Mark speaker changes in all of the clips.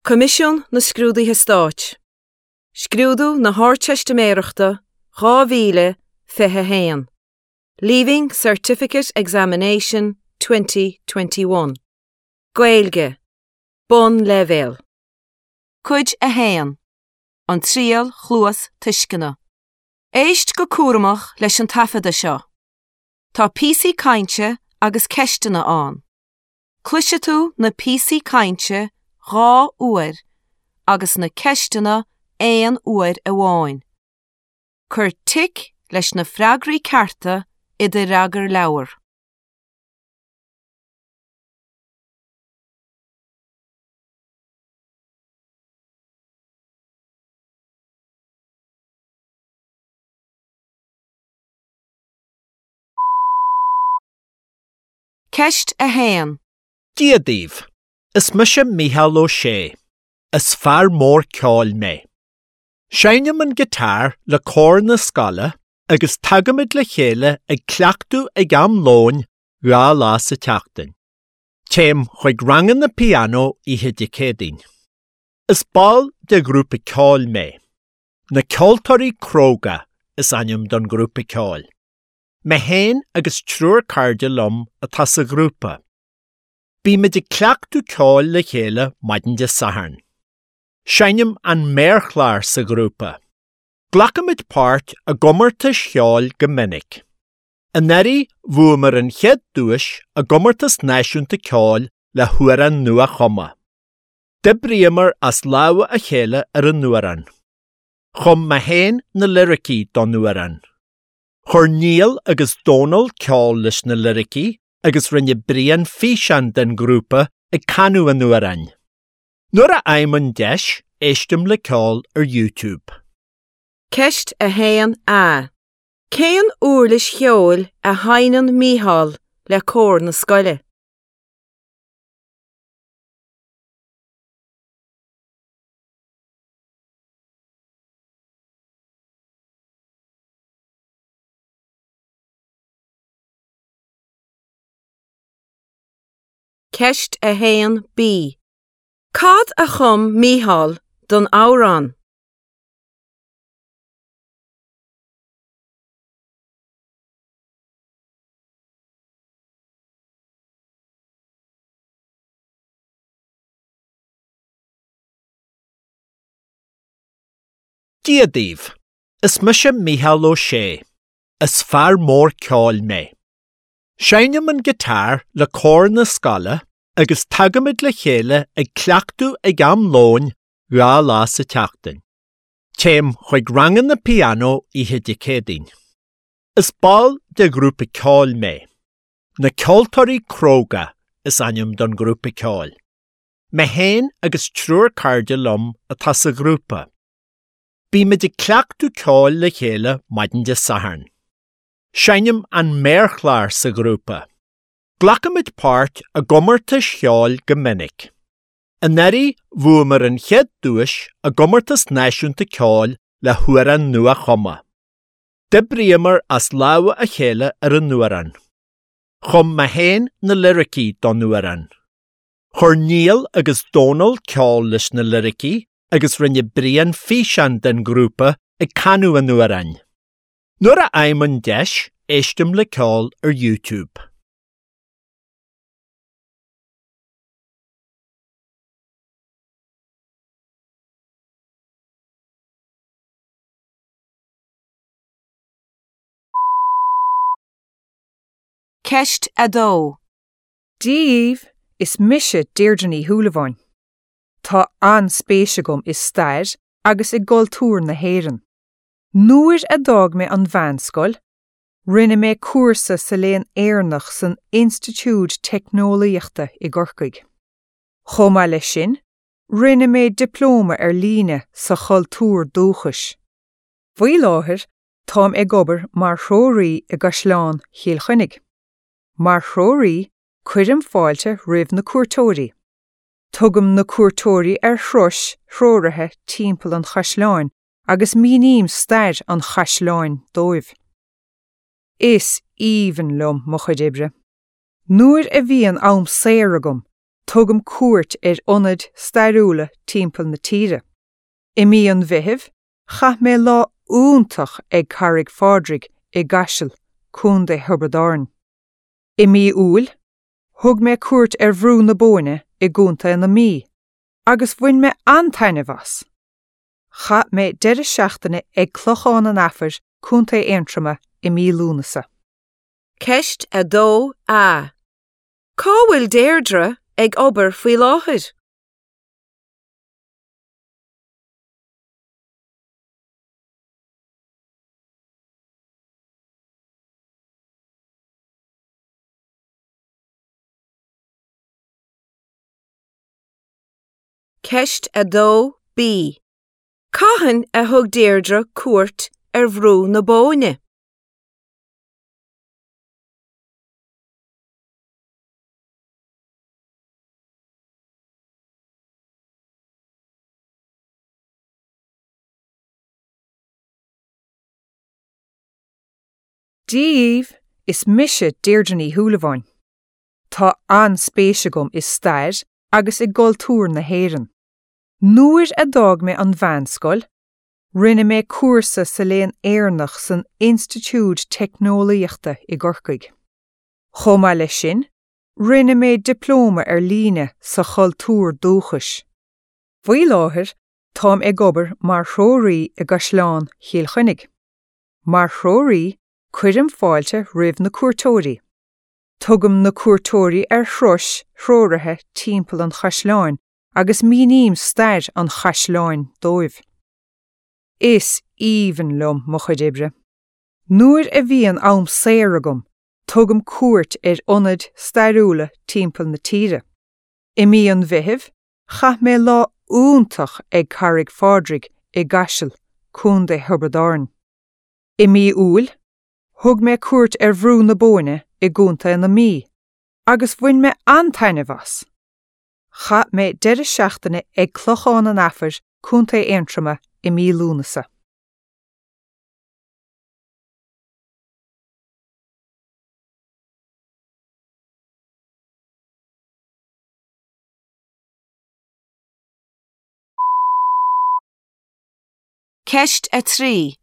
Speaker 1: Coimisiún na Scrúduithe Stáit, Scrúdú na hArdteistiméireachta 2021, Leaving Certificate Examination 2021, Gaeilge, Bonnleibhéal. Cuid 1, An Triail Chluastuisceana. Éist go cúramach leis an taifeadadh seo. Tá píosaí cainte agus ceisteanna ann. Cloisfidh tú na píosaí cainte 2 uair agus na ceisteanna aon uair amháin. Cuir tic leis na freagraí cearta i do fhreagarleabhar. Ceist 1.
Speaker 2: Dia daoibh! Is mise Mícheál Ó Sé. Is fear mór ceoil mé. Seinnim an guitar le cór na scoile agus tagaimid le chéile ag cleachtadh ag am lóin 2 lá sa tseachtain. Téim chuig ranganna pianó oíche Dé Céadaoin. Is ball de ghrúpa ceoil mé. Na Ceoltóirí Cróga is ainm don ghrúpa ceoil. Mé féin agus triúr cairde liom atá sa ghrúpa. Bímid ag cleachtadh ceoil le chéile maidin Dé Sathairn. Seinnim an méarchlár sa ghrúpa. Glacaimid páirt i gcomórtais cheoil go minic. Anuraidh bhuamar an chéad duais i gcomórtas náisiúnta ceoil le hamhrán nua-chumtha. D'oibríomar as lámha a chéile ar an amhrán. Chum mé féin na liricí don amhrán. Chuir Niall agus Dónal ceol leis na liricí agus rinne Brian físeán den ghrúpa ag canadh an amhráin. Nuair a fhaighim an deis, éistim le ceol ar YouTube.
Speaker 1: Ceist 1A. Cén uirlis cheoil a sheinneann Mícheál le cór na scoile? Ceist 1B. Cad a chum Mícheál don amhrán?
Speaker 2: Dia daoibh! Is mise Mícheál Ó Sé. Is fear mór ceoil mé. Seinnim an guitar le cór na scoile agus tagaimid le chéile ag cleachtadh ag am lóin 2 lá sa tseachtain. Téim chuig ranganna pianó oíche Dé Céadaoin. Is ball de ghrúpa ceoil mé. Na Ceoltóirí Cróga is ainm don ghrúpa ceoil. Mé féin agus triúr cairde liom atá sa ghrúpa. Bímid ag cleachtadh ceoil le chéile maidin Dé Sathairn. Seinnim an méarchlár sa ghrúpa. Glacaimid páirt i gcomórtais cheoil go minic. Anuraidh bhuamar an chéad duais i gcomórtas náisiúnta ceoil le hamhrán nua-chumtha. D'oibríomar as lámha a chéile ar an amhrán. Chum mé féin na liricí don amhrán. Chuir Niall agus Dónal ceol leis na liricí agus rinne Brian físeán den ghrúpa ag canadh an amhráin. Nuair a fhaighim an deis, éistim le ceol ar YouTube.
Speaker 1: Ceist 2.
Speaker 3: Dia dhaoibh, is mise Deirdre Ní Shúilleabháin. Tá an-spéis agam i stair agus i gcultúr na hÉireann. Nuair a d'fhág mé an mheánscoil, rinne mé cúrsa sa Léann Éireannach san Institiúid Teicneolaíochta i gCorcaigh. Chomh maith leis sin, rinne mé dioplóma ar líne sa chultúr dúchais. Faoi láthair, táim ag obair mar threoraí i gCaisleán Chill Chainnigh. Mar threoraí, cuirim fáilte roimh na cuairteoirí. Tugaim na cuairteoirí ar thurais threoraithe timpeall an chaisleáin agus míním stair an chaisleáin dóibh. Is aoibhinn liom mo chuid oibre. Nuair a bhíonn am saor agam, Tugaim cuairt ar ionaid stairiúla timpeall na tíre. I mí an Mheithimh, chaith mé lá iontach ag Carraig Phádraig i gCaiseal, Contae Thiobraid Árann. I mí Iúil, thug mé cuairt ar Bhrú na Bóinne i gContae na Mí agus bhain mé an-taitneamh as. Chaith mé deireadh seachtaine ag Clochán an Afair, Contae Aontroma i mí Lúnasa.
Speaker 1: Ceist 2A. Cá bhfuil Deirdre ag obair faoi láthair? Ceist 2B. Cathain a thug Deirdre cuairt ar Bhrú na Bóinne?
Speaker 3: Dia dhaoibh, is mise Deirdre Ní Shúilleabháin. Tá an-spéis agam i stair agus i gcultúr na hÉireann. Nuair a d'fhág mé an mheánscoil, rinne mé cúrsa sa Léann Éireannach san Institiúid Teicneolaíochta i gCorcaigh. Chomh maith leis sin, rinne mé dioplóma ar líne sa chultúr dúchais. Faoi láthair, táim ag obair mar threoraí i gCaisleán Chill Chainnigh. Mar threoraí, cuirim fáilte roimh na cuairteoirí. Tugaim na cuairteoirí ar thurais threoraithe timpeall an chaisleáin agus míním stair an chaisleáin dóibh. Is aoibhinn liom mo chuid oibre. Nuair a bhíonn am saor agam, tugaim cuairt ar ionaid stairiúla timpeall na tíre. I mí an Mheithimh, chaith mé lá iontach ag Carraig Phádraig i gCaiseal, Contae Thiobraid Árann. I mí Iúil, thug mé cuairt ar Bhrú na Bóinne i gContae na Mí agus bhain mé an-taitneamh as. Chaith mé deireadh seachtaine ag Clochán an Afair, Contae Aontroma i mí Lúnasa.
Speaker 1: Ceist 3.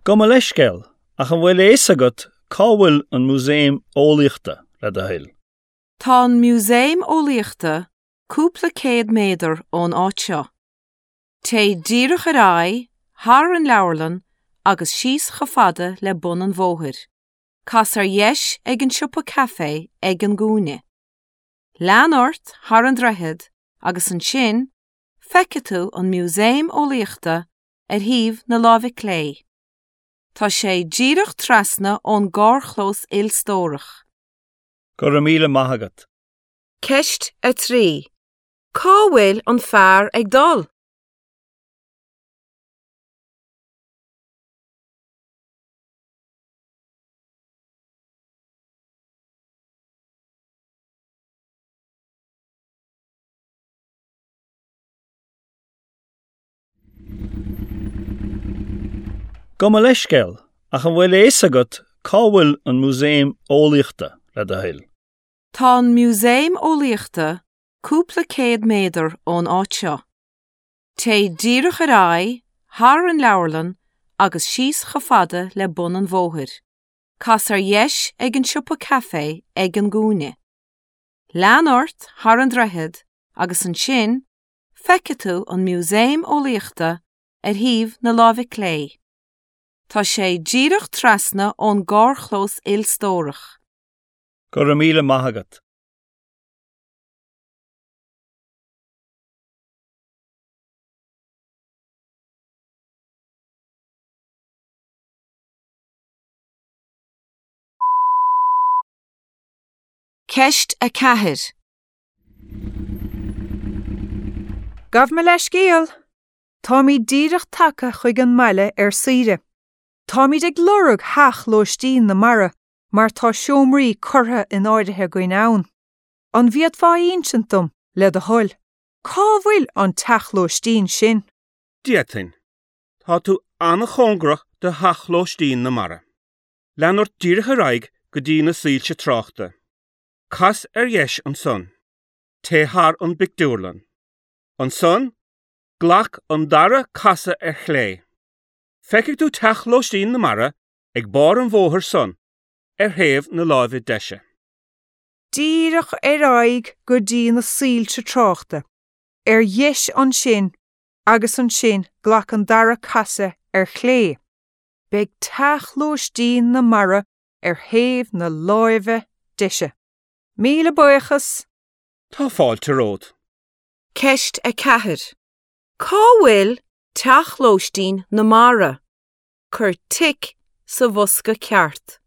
Speaker 4: Gabh mo leithscéal, ach an bhfuil a fhios agat cá bhfuil an Músaem Eolaíochta, le do thoil?
Speaker 1: Tá an Músaem Eolaíochta cúpla céad méadar ón áit seo. Téigh díreach ar aghaidh, thar an leabharlann agus síos chomh fada le bun an bhóthair. Cas ar dheis ag an siopa caife ag an gcúinne. Lean ort thar an droichead agus ansin feicfidh tú an Músaem Eolaíochta ar thaobh na láimhe clé. Tá sé díreach trasna ón gcarrchlós ilstórach.
Speaker 4: Go raibh míle maith agat.
Speaker 1: Ceist 3. Cá bhfuil an fear ag dul?
Speaker 4: Gabh mo leithscéal, ach an bhfuil a fhios agat cá bhfuil an Músaem Eolaíochta, le do thoil?
Speaker 1: Tá an Músaem Eolaíochta cúpla céad méadar ón áit seo. Téigh díreach ar aghaidh, thar an leabharlann agus síos chomh fada le bun an bhóthair. Cas ar dheis ag an siopa caife ag an gcúinne. Lean ort thar an droichead agus ansin feicfidh tú an Músaem Eolaíochta ar thaobh na láimhe clé. Tá sé díreach trasna ón gcarrchlós ilstórach.
Speaker 4: Go raibh míle maith agat.
Speaker 1: Ceist 4.
Speaker 3: Gabh mo leithscéal! Táimid díreach tagtha chuig an mbaile ar saoire. Táimid ag lorg theach lóistín na mara mar tá seomraí curtha in áirithe againn ann. An bhféadfá a insint dom, le do thoil, cá bhfuil an teach lóistín sin?
Speaker 5: D'fhéadfainn. Tá tú an-chóngarach do theach lóistín na mara. Lean ort díreach ar aghaidh go dtí na soilse tráchta. Cas ar dheis ansan. Téigh thar an bpictiúrlann. Ansan, glac an dara casadh ar chlé. Feicfidh tú Teach Lóistín na Mara ag barr an bhóthair san, ar thaobh na láimhe deise.
Speaker 3: Díreach ar aghaidh go dtí na soilse tráchta, ar dheis ansin agus ansin glac an dara casadh ar chlé. Beidh Teach Lóistín na Mara ar thaobh na láimhe deise. Míle buíochas!
Speaker 5: Tá fáilte romhat.
Speaker 1: Ceist 4. Cá bhfuil Teach Lóistín na Mara? Cuir tic sa bhosca ceart.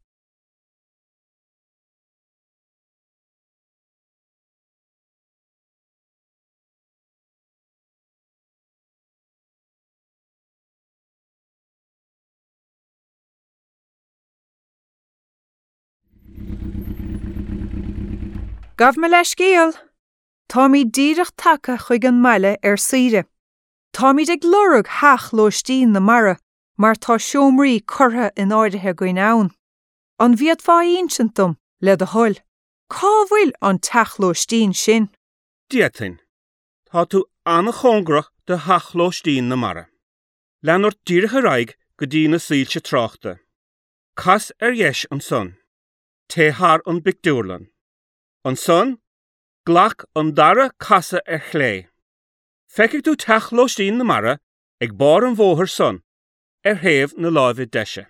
Speaker 3: Gabh mo leithscéal! Táimid díreach tagtha chuig an mbaile ar saoire. Táimid ag lorg Theach Lóistín na Mara mar tá seomraí curtha in áirithe againn ann. An bhféadfá a insint dom, le do thoil, cá bhfuil an teach lóistín sin?
Speaker 5: D'fhéadfainn. Tá tú an-chóngarach do Theach Lóistín na Mara. Lean ort díreach ar aghaidh go dtí na soilse tráchta. Cas ar dheis ansan. Téigh thar an bpictiúrlann. Ansan, glac an dara casadh ar chlé. Feicfidh tú Teach Lóistín na Mara ag barr an bhóthair san, ar thaobh na láimhe deise.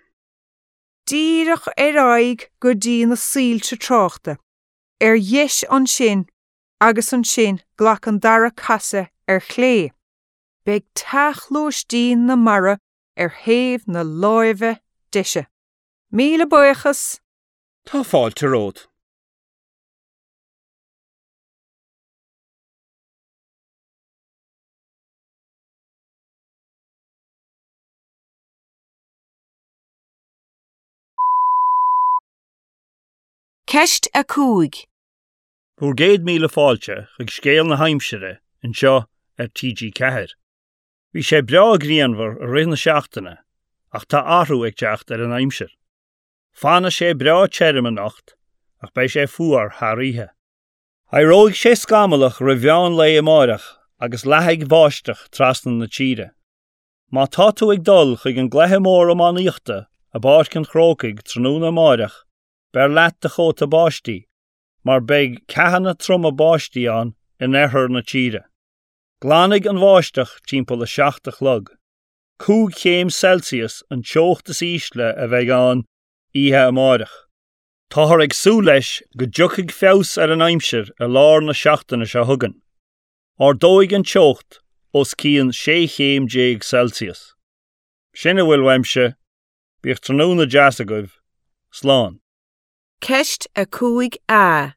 Speaker 3: Díreach ar aghaidh go dtí na soilse tráchta, ar dheis ansin agus ansin glac an dara casadh ar chlé. Beidh Teach Lóistín na Mara ar thaobh na láimhe deise. Míle buíochas!
Speaker 5: Tá fáilte romhat.
Speaker 1: Ceist 5.
Speaker 4: Bhur gcéad míle fáilte chuig Scéal na hAimsire anseo ar TG4. Bhí sé breá grianmhar i rith na seachtaine ach tá athrú ag teacht ar an aimsir. Fanfaidh sé breá tirim anocht ach beidh sé fuar thar oíche. Éireoidh sé scamallach roimh mheán lae amáireach agus leathfaidh báisteach trasna na tíre. Má tá tú ag dul chuig an gcluiche mór iománaíochta i bPáirc an Chrócaigh tráthnóna amáireach, beir leat do chóta báistí mar beidh ceathanna troma báistí ann in oirthear na tíre. Glanfaidh an bháisteach timpeall 7 a chlog. 5 chéim Celsius an teocht is ísle a bheidh ann oíche amáireach. Táthar ag súil leis go dtiocfaidh feabhas ar an aimsir i lár na seachtaine seo chugainn. Ardóidh an teocht os cionn 16 chéim Celsius. Sin a bhfuil uaimse, bíodh tráthnóna deas agaibh, slán.
Speaker 1: Ceist 5A.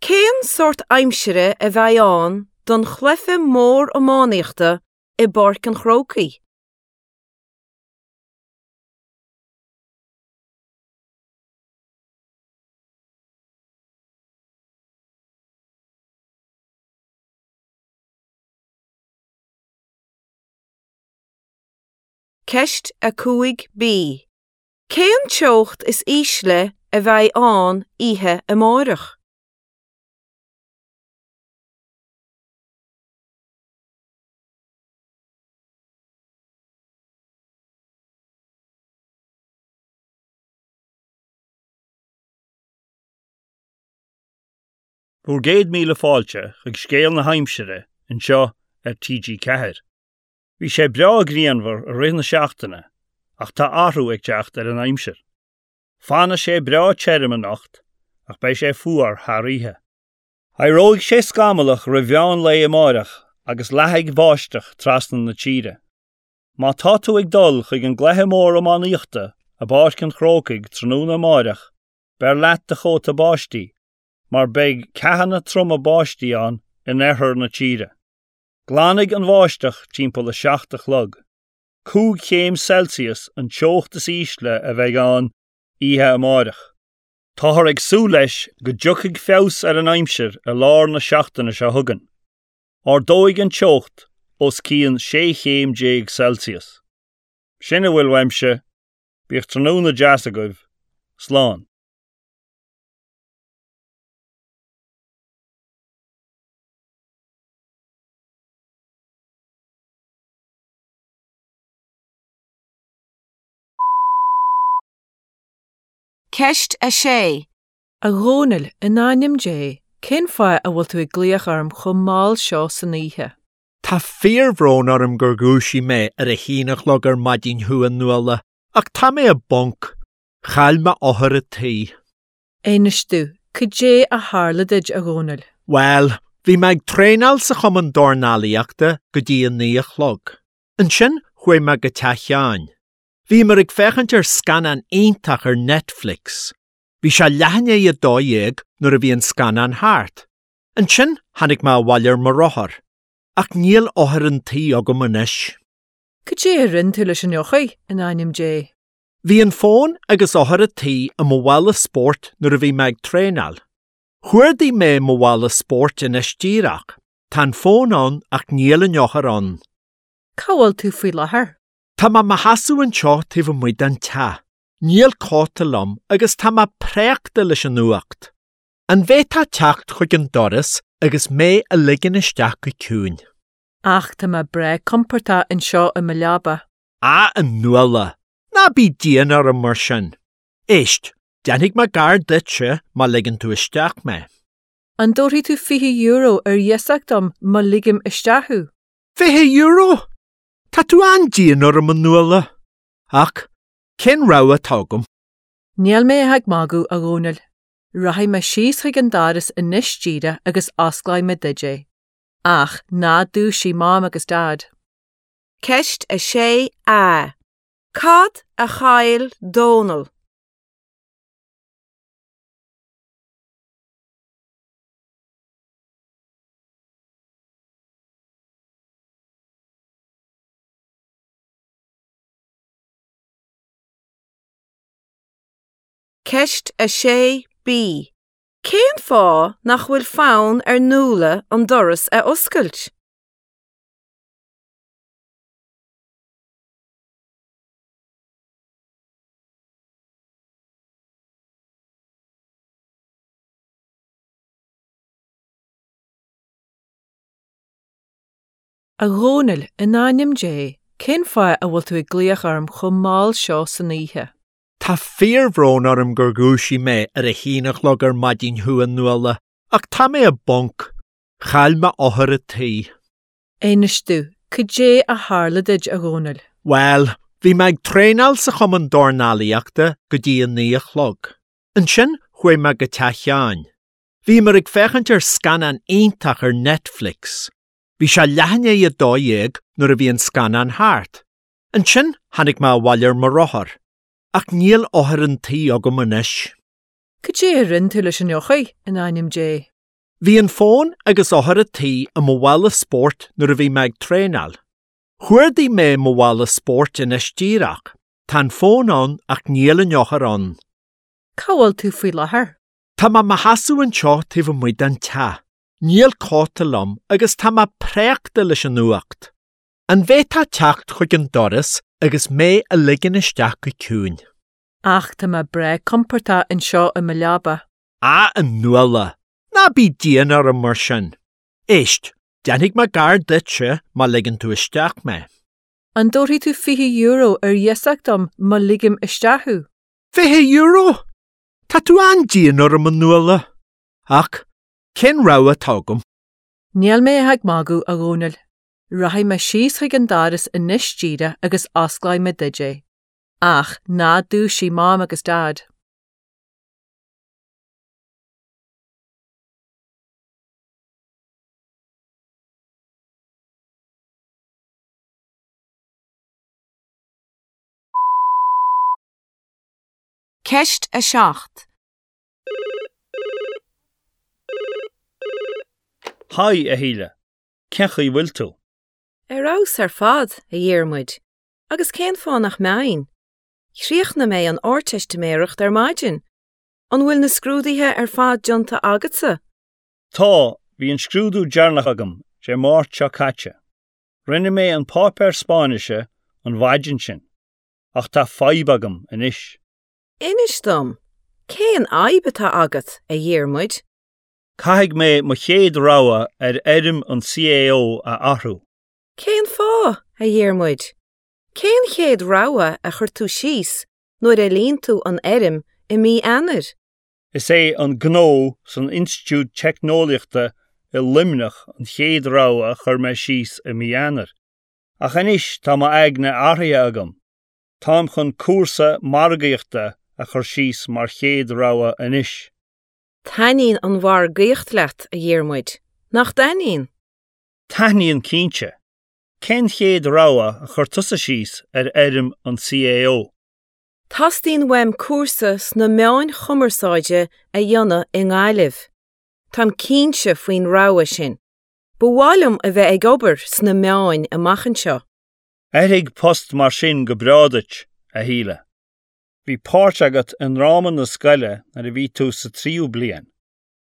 Speaker 1: Cén sórt aimsire a bheidh ann don chluiche mór iománaíochta i bPáirc an Chrócaigh? Ceist 5B. Cén teocht is ísle a bheidh ann oíche amárach?
Speaker 4: Bhur gcéad míle fáilte chuig Scéal na hAimsire anseo ar TG4. Bhí sé breá grianmhar i rith na seachtaine ach tá athrú ag teacht ar an aimsir. Fanfaidh sé breá tirim anocht ach beidh sé fuar thar oíche. Éireoidh sé scamallach roimh mheán lae amáireach agus leathfaidh báisteach trasna na tíre. Má tá tú ag dul chuig an gcluiche mór iománaíochta i bPáirc an Chrócaigh tráthnóna amáireach, beir leat do chóta báistí mar beidh ceathanna troma báistí ann in oirthear na tíre. Glanfaidh an bháisteach timpeall 7 a chlog. 5 chéim Celsius an teocht is ísle a bheidh ann oíche amáireach. Táthar ag súil leis go dtiocfaidh feabhas ar an aimsir i lár na seachtaine seo chugainn. Ardóidh an teocht os cionn 16 chéim Celsius. Sin a bhfuil uaimse, bíodh tráthnóna deas agaibh, slán.
Speaker 1: Ceist 6.
Speaker 3: A Dhónaill, in ainm Dé, cén fáth a bhfuil tú ag glaoch orm chomh mall seo san oíche?
Speaker 2: Tá fíorbhrón orm gur dhúisigh mé ar a haon a chlog ar maidin thú, a Nuala, ach tá mé i bponc. Chaill mé eochair an tí.
Speaker 3: Inis domh, cad é a tharla duit, a Dhónaill?
Speaker 2: Bhuel, bhí mé ag traenáil sa chumann dornálaíochta go dtí a naoi a chlog. Ansin chuaigh mé go teach Sheáin. Bhíomar ag féachaint ar scannán iontach ar Netflix. Bhí sé leath i ndiaidh a 12 nuair a bhí an scannán thart. Ansin tháinig mé abhaile ar mo rothar. Ach níl eochair an tí agam anois.
Speaker 3: Cad é a rinne tú leis an eochair, in ainm Dé?
Speaker 2: Bhí an fón agus eochair an tí i mo mhála spóirt nuair a bhí mé ag traenáil. Chuardaigh mé mo mhála spóirt anois díreach. Tá an fón ann ach níl an eochair ann.
Speaker 3: Cá bhfuil tú faoi láthair?
Speaker 2: Tá mé i mo sheasamh anseo taobh amuigh den teach. Níl cóta liom agus tá mé préachta leis an fhuacht. An bhféadfá teacht chuig an doras agus mé a ligean isteach go ciúin?
Speaker 3: Ach tá mé breá compordach anseo i mo leaba.
Speaker 2: Á, a Nuala, ná bí dian orm mar sin. Éist, déanfaidh mé gar duitse má ligeann tú isteach mé.
Speaker 3: An dtabharfaidh tú €20 ar iasacht dom má ligim isteach thú?
Speaker 2: €20? Tá tú an-dian orm, a Nuala. Ach Cén rogha atá agam?
Speaker 3: Níl mé ach ag magadh, a Dhónaill. Rachaidh mé síos chuig an doras anois díreach agus osclóidh mé duit é. Ach ná dúisigh Mam agus Daid.
Speaker 1: Ceist 6A. Cad a chaill Dónall? Ceist 6B. Cén fáth nach bhfuil fonn ar Nuala an doras a oscailt?
Speaker 3: A Dhónaill, in ainm Dé, cén fáth a bhfuil tú ag glaoch orm chomh mall seo san oíche?
Speaker 2: Tá fíorbhrón orm gur dhúisigh mé ar a haon a chlog ar maidin thú, a Nuala, ach tá mé i bponc. Chaill mé eochair an tí.
Speaker 3: Inis domh, cad é a tharla duit, a Dhónaill?
Speaker 2: Bhuel, bhí mé ag traenáil sa chumann dornálaíochta go dtí a naoi a chlog. Ansin chuaigh mé go teach Sheáin. Bhíomar ag féachaint ar scannán iontach ar Netflix. Bhí sé leath i ndiaidh a 12 nuair a bhí an scannán thart. Ansin tháinig mé abhaile ar mo rothar. Ach níl eochair an tí agam anois.
Speaker 3: Cad é a rinne tú leis an eochair, in ainm Dé?
Speaker 2: Bhí an fón agus eochair an tí i mo mhála spóirt nuair a bhí mé ag traenáil. Chuardaigh mé mo mhála spóirt anois díreach. Tá an fón ann ach níl an eochair ann.
Speaker 3: Cá bhfuil tú faoi láthair?
Speaker 2: Tá mé i mo sheasamh anseo taobh amuigh den teach. Níl cóta liom agus tá mé préachta leis an fhuacht. An bhféadfá teacht chuig an doras agus mé a ligean isteach go ciúin?
Speaker 3: Ach tá mé breá compordach anseo i mo leaba.
Speaker 2: Á, a Nuala, ná bí dian orm mar sin. Éist, déanfaidh mé gar duitse má ligeann tú isteach mé.
Speaker 3: An dtabharfaidh tú €20 ar iasacht dom má ligim isteach thú?
Speaker 2: €20? Tá tú an-dian orm, a Nuala. Ach Cén rogha atá agam?
Speaker 3: Níl mé ach ag magadh, a Dhónaill. Rachaidh mé síos chuig an doras anois díreach agus osclóidh mé duit é. Ach ná dúisigh Mam agus Daid.
Speaker 1: Ceist 7.
Speaker 4: Haigh, a Shíle. Cén chaoi bhfuil tú?
Speaker 1: Ar fheabhas ar fad, a Dhiarmuid, agus cén fáth nach mbeinn? Chríochnaigh mé an Ardteistiméireacht ar maidin. An bhfuil na scrúduithe ar fad déanta agatsa?
Speaker 4: Tá, bhí an scrúdú deireanach agam Dé Máirt seo caite. Rinne mé an páipéar Spáinnise an mhaidin sin, ach tá fadhb agam anois.
Speaker 1: Inis dom, cén fhadhb atá agat, a Dhiarmuid?
Speaker 4: Caithfidh mé mo chéad rogha ar fhoirm an CAO a athrú.
Speaker 1: Cén fáth, a Dhiarmuid? Cén chéad rogha a chuir tú síos nuair a líon tú an fhoirm. i mí Eanáir?
Speaker 4: Is é an Gnó san Institiúid Teicneolaíochta i Luimneach an chéad rogha a chuir mé síos i mí Eanáir. Ach anois tá m'aigne athraithe agam. Táim chun cúrsa margaíochta a chur síos mar chéad rogha anois.
Speaker 1: Taitníonn an mhargaíocht leat, a Dhiarmuid, nach dtaitníonn?
Speaker 4: Taitníonn cinnte. Cén chéad rogha a chuir tusa síos ar fhoirm an CAO?
Speaker 1: Teastaíonn uaim cúrsa sna meáin chumarsáide a dhéanamh i nGaillimh. Táim cinnte faoin rogha sin. Ba mhaith liom a bheith ag obair sna meáin amach anseo.
Speaker 4: Oirfidh post mar sin go breá duit, a Shíle. Bhí páirt agat i ndráma na scoile nuair a bhí tú sa tríú bliain,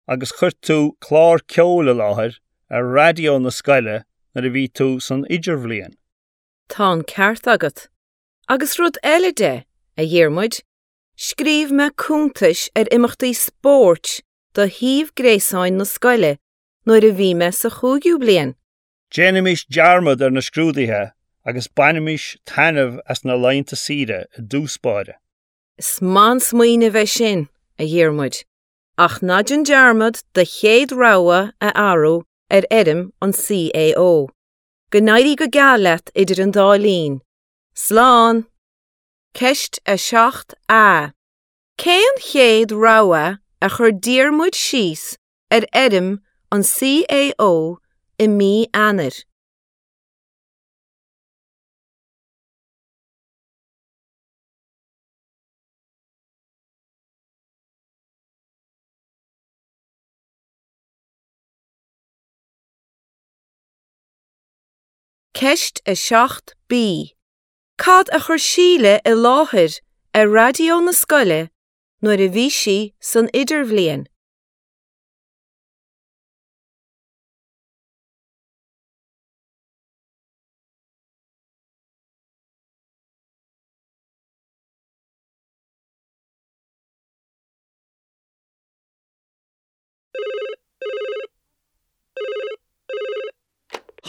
Speaker 4: agus chuir tú clár ceoil i láthair ar raidió na scoile nuair a bhí tú san idirbhliain.
Speaker 1: Tá an ceart agat. Agus rud eile de, a Dhiarmuid, scríobh mé cuntais ar imeachtaí spóirt do shuíomh gréasáin na scoile nuair a bhí mé sa chúigiú bliain.
Speaker 4: Déanaimis dearmad ar na scrúduithe agus bainimis taitneamh as na laethanta saoire i dtús báire.
Speaker 1: Is maith an smaoineamh é sin, a Dhiarmuid, ach ná déan dearmad do chéad rogha a athrú ar fhoirm an CAO. Go n-éirí go geal leat idir an dá linn. Slán! Ceist 7A. Cén chéad rogha a chuir Diarmuid síos ar fhoirm an CAO i mí Eanáir? Ceist 7B. Cad a chuir Síle i láthair ar raidió na scoile nuair a bhí sí san Idirbhliain?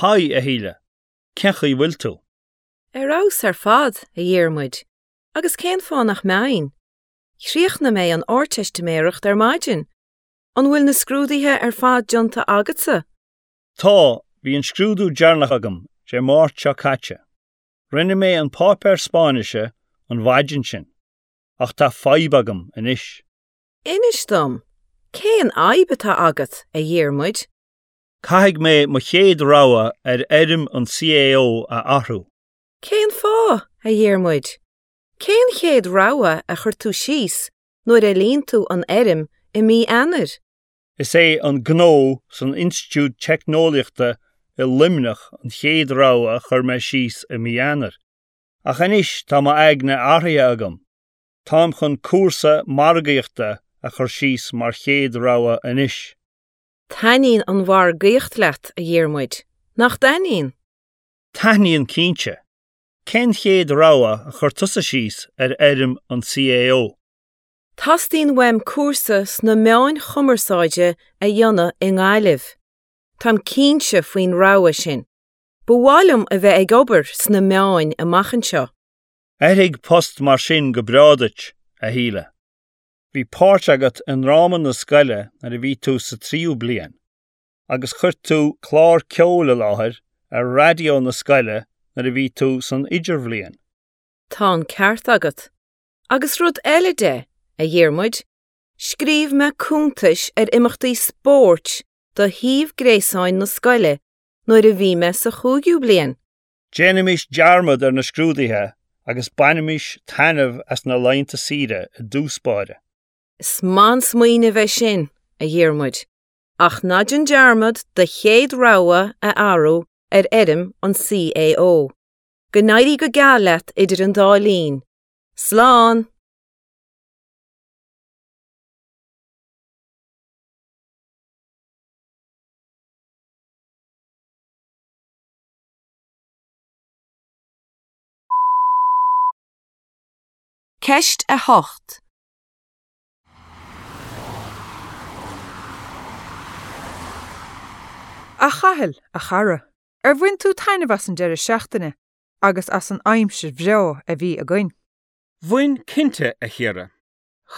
Speaker 4: Haigh, a Shíle. Cén chaoi bhfuil tú?
Speaker 1: Ar fheabhas ar fad, a Dhiarmuid, agus cén fáth nach mbeinn? Chríochnaigh mé an Ardteistiméireacht ar maidin. An bhfuil na scrúduithe ar fad déanta agatsa?
Speaker 4: Tá, bhí an scrúdú deireanach agam Dé Máirt seo caite. Rinne mé an páipéar Spáinnise an mhaidin sin. Ach tá fadhb agam anois.
Speaker 1: Inis dom, cén fhadhb atá agat, a Dhiarmuid?
Speaker 4: Caithfidh mé mo chéad rogha ar fhoirm an CAO a athrú.
Speaker 1: Cén fáth, a Dhiarmuid? Cén chéad rogha a chuir tú síos nuair a líon tú an fhoirm i mí Eanáir?
Speaker 4: Is é an Gnó san Institiúid Teicneolaíochta i Luimneach an chéad rogha a chuir mé síos i mí Eanáir. Ach anois tá m'aigne athraithe agam. Táim chun cúrsa margaíochta a chur síos mar chéad rogha anois.
Speaker 1: Taitníonn an mhargaíocht leat, a Dhiarmuid, nach dtaitníonn?
Speaker 4: Taitníonn cinnte. Cén chéad rogha a chuir tusa síos ar fhoirm an CAO?
Speaker 1: Teastaíonn uaim cúrsa sna meáin chumarsáide a dhéanamh i nGaillimh. Táim cinnte faoin rogha sin. Ba mhaith liom a bheith ag obair sna meáin amach anseo.
Speaker 4: Oirfidh post mar sin go breá duit, a Shíle. Bhí páirt agat i ndráma na scoile nuair a bhí tú sa tríú bliain, agus chuir tú clár ceoil i láthair ar raidió na scoile nuair a bhí tú san idirbhliain.
Speaker 1: Tá an ceart agat. Agus rud eile de, a Dhiarmuid, scríobh mé cuntais ar imeachtaí spóirt do shuíomh gréasáin na scoile nuair a bhí mé sa chúigiú bliain.
Speaker 4: Déanaimis dearmad ar na scrúduithe agus bainimis taitneamh as na laethanta saoire i dtús báire.
Speaker 1: Is maith an smaoineamh é sin, a Dhiarmuid. Ach ná déan dearmad do chéad rogha a athrú ar fhoirm an CAO. Go n-éirí go geal leat idir an dá linn. Slán! Ceist 8.
Speaker 3: A Chathail, a chara, ar bhain tú taitneamh as an deireadh seachtaine agus as an aimsir bhreá a bhí againn?
Speaker 5: Bhain cinnte, a Chiara.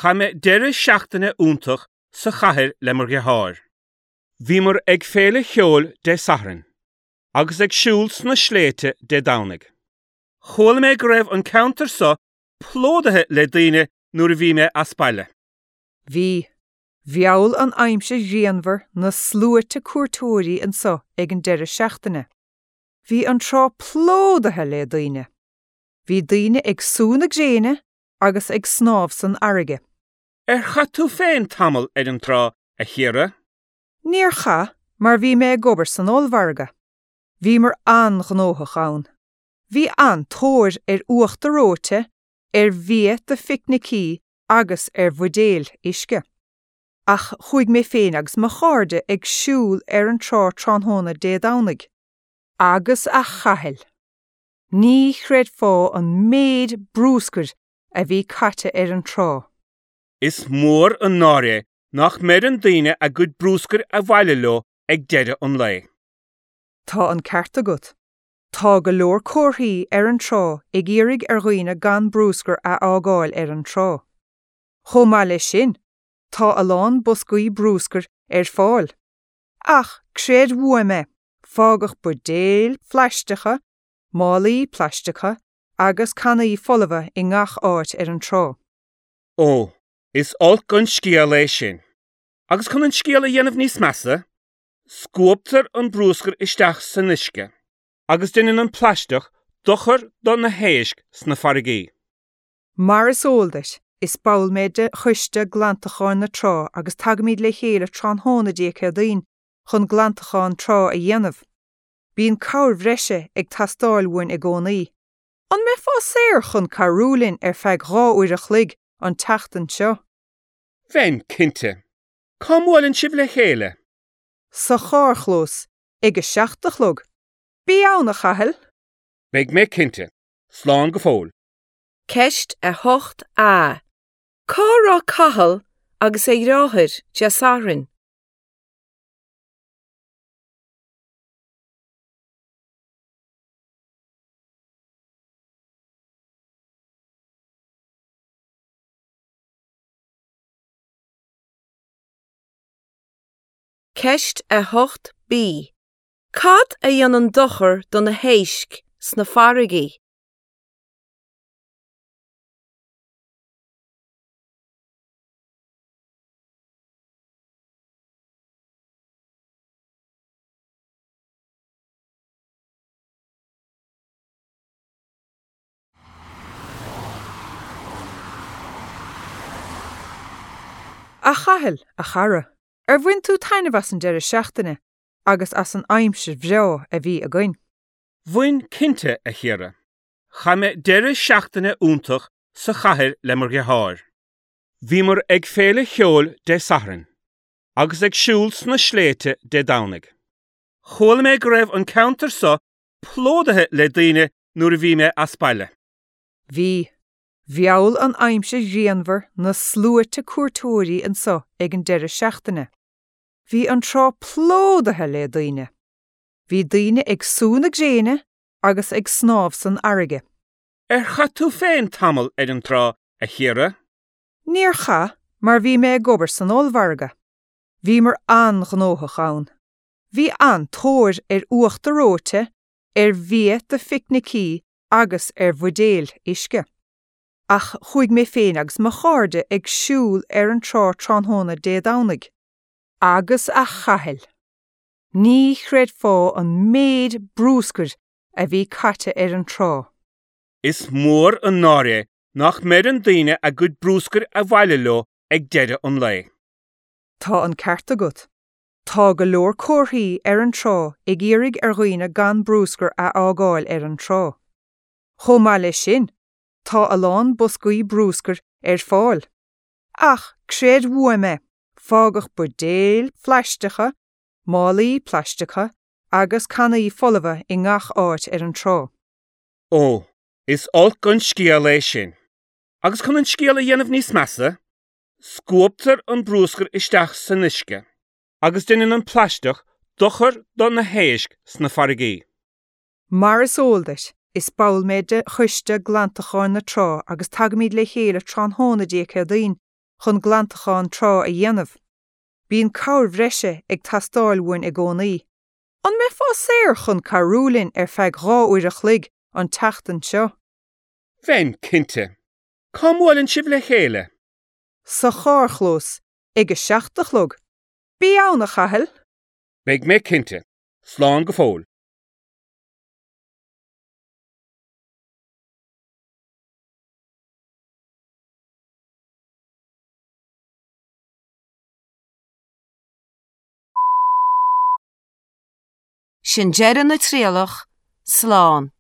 Speaker 5: Chaith mé deireadh seachtaine iontach sa chathair le mo dheartháir. Bhíomar ag féile cheoil Dé Sathairn agus ag siúl sna sléibhte Dé Domhnaigh. Chuala mé go raibh an ceantar so plódaithe le daoine nuair a bhí mé as baile.
Speaker 3: Bhí. Mheall an aimsir ghrianmhar na sluaite cuairteoirí anseo ag an deireadh seachtaine. Bhí an trá plódaithe le daoine. Bhí daoine ag sú na gréine agus ag snámh san fharraige.
Speaker 5: Ar chaith tú féin tamall ar an trá, a Chiara?
Speaker 3: Níor chaith, mar bhí mé ag obair san ollmhargadh. Bhíomar an-ghnóthach ann. Bhí an-tóir ar uachtar reoite, ar bhia do phicnicí agus ar bhuidéil uisce. Ach chuaigh mé féin agus mo chairde ag siúl ar an trá tráthnóna Dé Domhnaigh. Agus a Chathail! Ní chreidfeá an méid brúscair a bhí caite ar an trá.
Speaker 5: Is mór an náire é nach mbeireann daoine a gcuid brúscair abhaile leo ag deireadh an lae.
Speaker 3: Tá an ceart agat. Tá go leor comharthaí ar an trá ag iarraidh ar dhaoine gan brúscar a fhágáil ar an trá. Chomh maith leis sin, tá a lán boscaí brúscair ar fáil. Ach creid uaim é, fágadh buidéil phlaisteacha, málaí plaisteacha agus cannaí folmha i ngach áit ar an trá.
Speaker 5: Ó, is olc an scéal é sin. Agus chun an scéal a dhéanamh níos measa, Scuabtar an brúscar isteach san uisce agus déanann an plaisteach dochar do na héisc sna farraigí.
Speaker 3: Mar is eol duit, is ball mé de Choiste Glantacháin na Trá agus tagaimid le chéile tráthnóna Dé Céadaoin chun glantachán trá a dhéanamh. Bíonn cabhair bhreise ag teastáil uainn i gcónaí. An mbeifeá saor chun cabhrú linn ar feadh 2 uair a chloig an tseachtain seo?
Speaker 5: Bheinn, cinnte. Cá mbuaileann sibh le chéile?
Speaker 3: Sa charrchlós, ag a seacht a chlog. Bí ann, a Chathail!
Speaker 5: Beidh mé cinnte. Slán go fóill.
Speaker 1: Ceist 8A. Cá raibh Cathal agus a dheartháir Dé Sathairn? Ceist 8B. Cad a dhéanann dochar do na héisc sna farraigí?
Speaker 3: A Chathail, a chara, ar bhain tú taitneamh as an deireadh seachtaine agus as an aimsir bhreá a bhí againn?
Speaker 5: Bhain cinnte, a Chiara. Chaith mé deireadh seachtaine iontach sa chathair le mo dheartháir. Bhíomar ag féile cheoil Dé Sathairn agus ag siúl sna sléibhte Dé Domhnaigh. Chuala mé go raibh an ceantar so plódaithe le daoine nuair a bhí mé as baile.
Speaker 3: Bhí. Mheall an aimsir ghrianmhar na sluaite cuairteoirí anseo ag an deireadh seachtaine. Bhí an trá plódaithe le daoine. Bhí daoine ag sú na gréine agus ag snámh san fharraige.
Speaker 5: Ar chaith tú féin tamall ar an trá, a Chiara?
Speaker 3: Níor chaith, mar bhí mé ag obair san ollmhargadh. Bhíomar an-ghnóthach ann. Bhí an-tóir ar uachtar reoite, ar bhia do phicnicí agus ar bhuidéil uisce. Ach chuaigh mé féin agus mo chairde ag siúl ar an trá tráthnóna Dé Domhnaigh. Agus a Chathail! Ní chreidfeá an méid brúscair a bhí caite ar an trá.
Speaker 5: Is mór an náire é nach mbeireann daoine a gcuid brúscair abhaile leo ag deireadh an lae.
Speaker 3: Tá an ceart agat. Tá go leor comharthaí ar an trá ag iarraidh ar dhaoine gan brúscar a fhágáil ar an trá. Chomh maith leis sin, tá a lán boscaí brúscair ar fáil. Ach creid uaim é, fágadh buidéil phlaisteacha, málaí plaisteacha agus cannaí folmha i ngach áit ar an trá.
Speaker 5: Ó, is olc an scéal é sin. Agus chun an scéal a dhéanamh níos measa, Scuabtar an brúscar isteach san uisce agus déanann an plaisteach dochar do na héisc sna farraigí.
Speaker 3: Mar is eol duit, is ball mé de Choiste Glantacháin na Trá agus tagaimid le chéile tráthnóna Dé Céadaoin. chun glantachán trá a dhéanamh. Bíonn cabhair bhreise ag teastáil uainn i gcónaí. An mbeifeá saor chun cabhrú linn ar feadh 2 uair a chloig an tseachtain seo?
Speaker 5: Bheinn, cinnte. Cá mbuaileann sibh le chéile?
Speaker 3: Sa charrchlós, ag a seacht a chlog. Bí ann, a Chathail!
Speaker 5: Beidh mé cinnte. Slán go fóill.
Speaker 1: Sin deireadh na trialach, slán.